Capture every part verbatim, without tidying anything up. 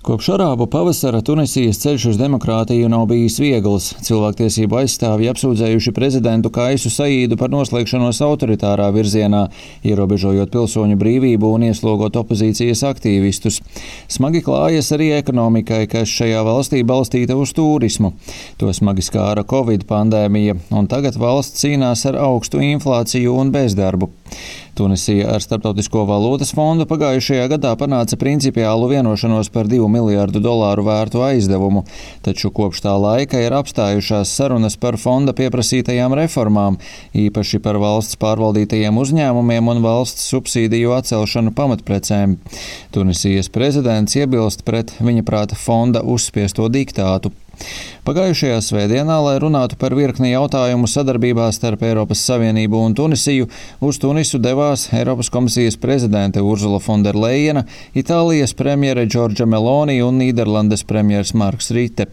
Kopš arābu pavasara Tunisijas ceļš uz demokrātiju nav bijis viegls. Cilvēktiesību aizstāvji apsūdzējuši prezidentu Kaisu Saīdu par noslēgšanos autoritārā virzienā, ierobežojot pilsoņu brīvību un ieslogot opozīcijas aktīvistus. Smagi klājas arī ekonomikai, kas šajā valstī balstīta uz turismu. To smagi skāra Covid pandēmija, un tagad valsts cīnās ar augstu inflāciju un bezdarbu. Tunisija ar Starptautisko valūtas fondu pagājušajā gadā panāca principiālu vienošanos par divu miljārdu dolāru vērtu aizdevumu, taču kopš tā laika ir apstājušās sarunas par fonda pieprasītajām reformām, īpaši par valsts pārvaldītajiem uzņēmumiem un valsts subsīdiju atcelšanu pamatprecēm. Tunisijas prezidents iebilst pret viņa prāta fonda uzspiesto diktātu. Pagājušajā svētdienā, lai runātu par virkni jautājumu sadarbībā starp Eiropas Savienību un Tunisiju, uz Tunisu devās Eiropas komisijas prezidente Ursula von der Leyena, Itālijas premjere Giorgia Meloni un Nīderlandes premjers Marks Rite.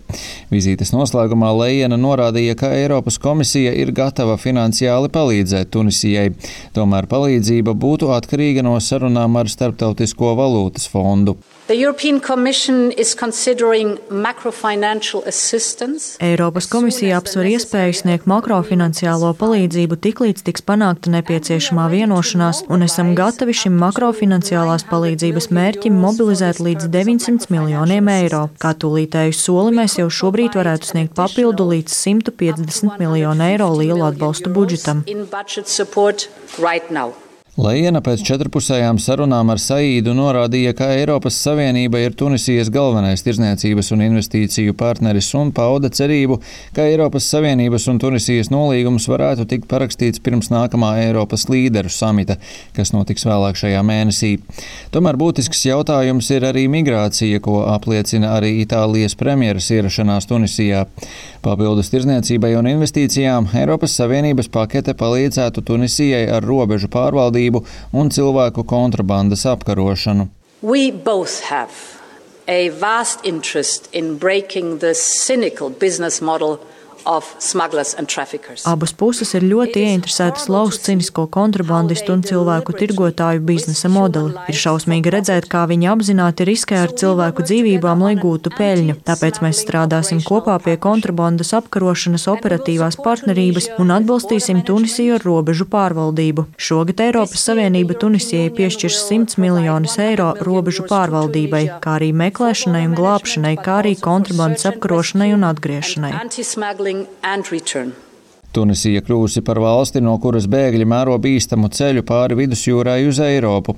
Vizītes noslēgumā Leyena norādīja, ka Eiropas komisija ir gatava finansiāli palīdzēt Tunisijai. Tomēr palīdzība būtu atkarīga no sarunām ar Starptautisko valūtas fondu. Eiropas komisija apsver iespēju sniegt makrofinanciālo palīdzību tiklīdz tiks panākta nepieciešamā vienošanās, un esam gatavi šim makrofinanciālās palīdzības mērķim mobilizēt līdz deviņsimt miljoniem eiro. Kā tūlītēju soli mēs jau šobrīd varētu sniegt papildu līdz simt piecdesmit miljonu eiro lielu atbalstu budžetam. Leyena pēc četrpusējām sarunām ar Saīdu norādīja, ka Eiropas Savienība ir Tunisijas galvenais tirdzniecības un investīciju partneris un pauda cerību, ka Eiropas Savienības un Tunisijas nolīgums varētu tikt parakstīts pirms nākamā Eiropas līderu samita, kas notiks vēlāk šajā mēnesī. Tomēr būtisks jautājums ir arī migrācija, ko apliecina arī Itālijas premjeras ierašanās Tunisijā. Papildus tirdzniecībai un investīcijām Eiropas Savienības pakete palīdzētu Tunisijai ar robežu pārvaldību un cilvēku kontrabandas apkarošanu. We both have a vast interest in breaking the cynical business model of smugglers and traffickers. Abas puses ir ļoti ieinteresētas lauzt cinisko kontrabandistu un cilvēku tirgotāju biznesa modeli. Ir šausmīgi redzēt, kā viņi apzināti riskē ar cilvēku dzīvībām, lai gūtu peļņu. Tāpēc mēs strādāsim kopā pie kontrabandas apkarošanas operatīvās partnerības un atbalstīsim Tunisiju ar robežu pārvaldību. Šogad Eiropas Savienība Tunisijai piešķirs simts miljonus eiro robežu pārvaldībai, kā arī meklēšanai un glābšanai, kā arī kontrabandas apkarošanai un atgriešanai. And return. Tunisija kļūsi par valsti, no kuras bēgļi mēro bīstamu ceļu pāri vidusjūrai uz Eiropu.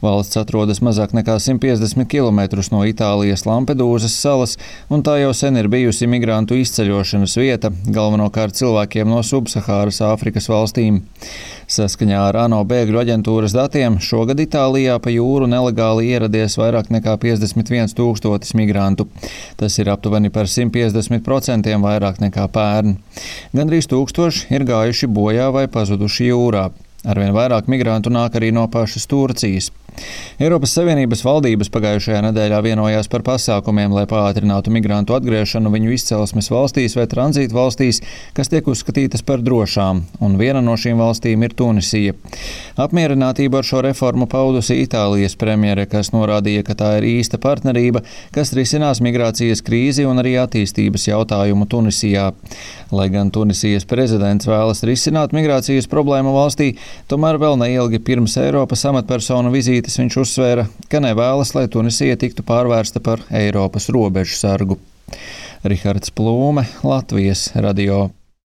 Valsts atrodas mazāk nekā simt piecdesmit kilometrus no Itālijas Lampedūzas salas, un tā jau sen ir bijusi migrantu izceļošanas vieta, galvenokārt cilvēkiem no Subsahāras Āfrikas valstīm. Saskaņā ar ANO bēgļu aģentūras datiem šogad Itālijā pa jūru nelegāli ieradies vairāk nekā piecdesmit viens tūkstotis migrantu. Tas ir aptuveni par simt piecdesmit procentiem vairāk nekā pērn. Gandrīz tūkstoši ir gājuši bojā vai pazuduši jūrā. Arvien vairāk migrantu nāk arī no pašas Turcijas. Eiropas Savienības valdības pagājušajā nedēļā vienojās par pasākumiem, lai pātrinātu migrantu atgriešanu viņu izcelsmes valstīs vai tranzītu valstīs, kas tiek uzskatītas par drošām, un viena no šīm valstīm ir Tunisija. Apmierinātību ar šo reformu paudusi Itālijas premjere, kas norādīja, ka tā ir īsta partnerība, kas risinās migrācijas krīzi un arī attīstības jautājumu Tunisijā. Lai gan Tunisijas prezidents vēlas risināt migrācijas problēmu valstī, tomēr vēl neilgi pirms Eiropas amatpersonu vizītes viņš uzsvēra, ka nevēlas, lai Tunisija tiktu pārvērsta par Eiropas robežu sargu. Rihards Plūme, Latvijas radio.